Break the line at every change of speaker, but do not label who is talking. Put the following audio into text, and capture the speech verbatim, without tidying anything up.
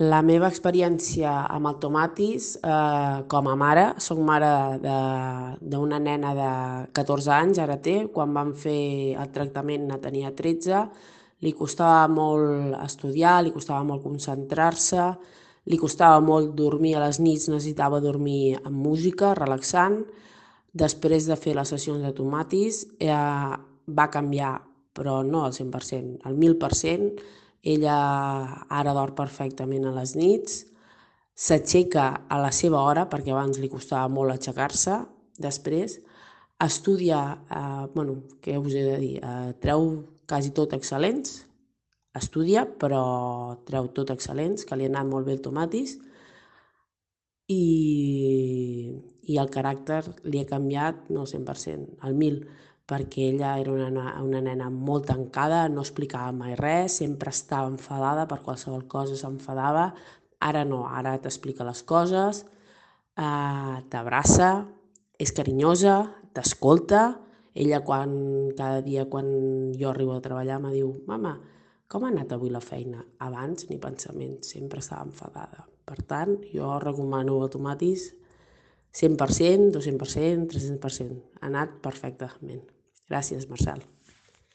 La meva experiència amb el tomatis, eh, com a mare, soc mare de- d'una nena de catorze anys, ara té, quan vam fer el tractament ne tenia tretze, li costava molt estudiar, li costava molt concentrar-se, li costava molt dormir a les nits, necessitava dormir amb música, relaxant. Després de fer les sessions de tomatis, eh, va canviar, però no al cent per cent, al mil per cent. Ella ara dorm perfectament a les nits, s'aixeca a la seva hora, perquè abans li costava molt aixecar-se. Després estudia, eh, bueno, què us he de dir, eh, treu quasi tot excel·lents, estudia, però treu tot excel·lents, que li ha anat molt bé el tomatis, i, i el caràcter li ha canviat, no al cent per cent, al mil, perquè ella era una, una nena molt tancada, no explicava mai res, sempre estava enfadada per qualsevol cosa, s'enfadava. Ara no, ara t'explica les coses, eh, t'abraça, és carinyosa, t'escolta. Ella quan, cada dia quan jo arribo a treballar me diu: mama, com ha anat avui la feina? Abans ni pensament, sempre estava enfadada. Per tant, jo recomano el tomatis cent per cent, dos-cents per cent, tres-cents per cent. Ha anat perfectament. Gràcies, Marcel.